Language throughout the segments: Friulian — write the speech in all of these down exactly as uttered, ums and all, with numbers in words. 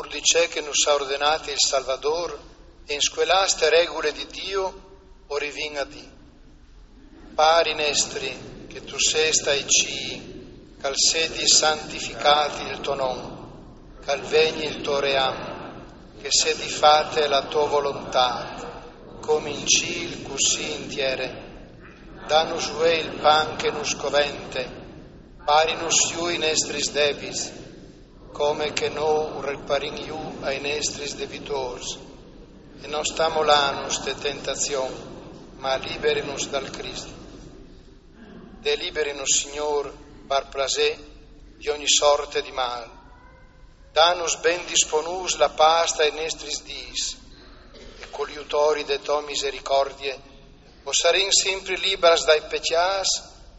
di ce che nus à ordenât il Salvadôr, e in scuelâ ste regule di Diu o rivìn a dî: Pari nestri, che tu sês tai cîi, che al sedi santificât il to non, che al vegni il to ream, che sedi fate la to volontât, come in cîl cussì in tiere. Danus vuê il pan che nus covente, parinus jù i nestris debits, come che nô riparìn jù ai nestris debitôrs, e no sta molânus te tentazion, ma liberinus dal Crist. Deliberinus, Signôr, par plasê, di ogni sorte di mâl. Danus ben disponûts la pâs tai nestris dîs, e cul jutori de tô misericordie o sarìn simpri libars dai pecjâts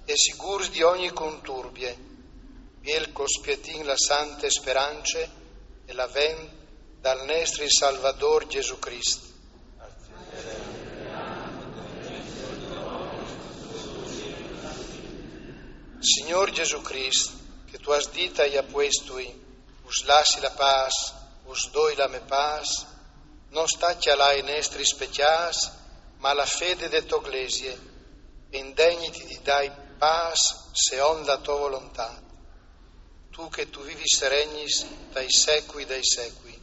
e sigûrs di ogni conturbie, biel che o spietìn la sante sperance e la vent dal nestri Salvadôr Jesù Crist. Signôr Jesù Crist, che tu âs dit ai apuestui: Us lassi la pâs, us doi la mê pâs, no sta cjalâ i nestris pecjâts, ma la fede de tô Glesie, e indegniti di dâi pâs seont la tô volontât. Tu che tu vivis e regnis dai secui dai secui.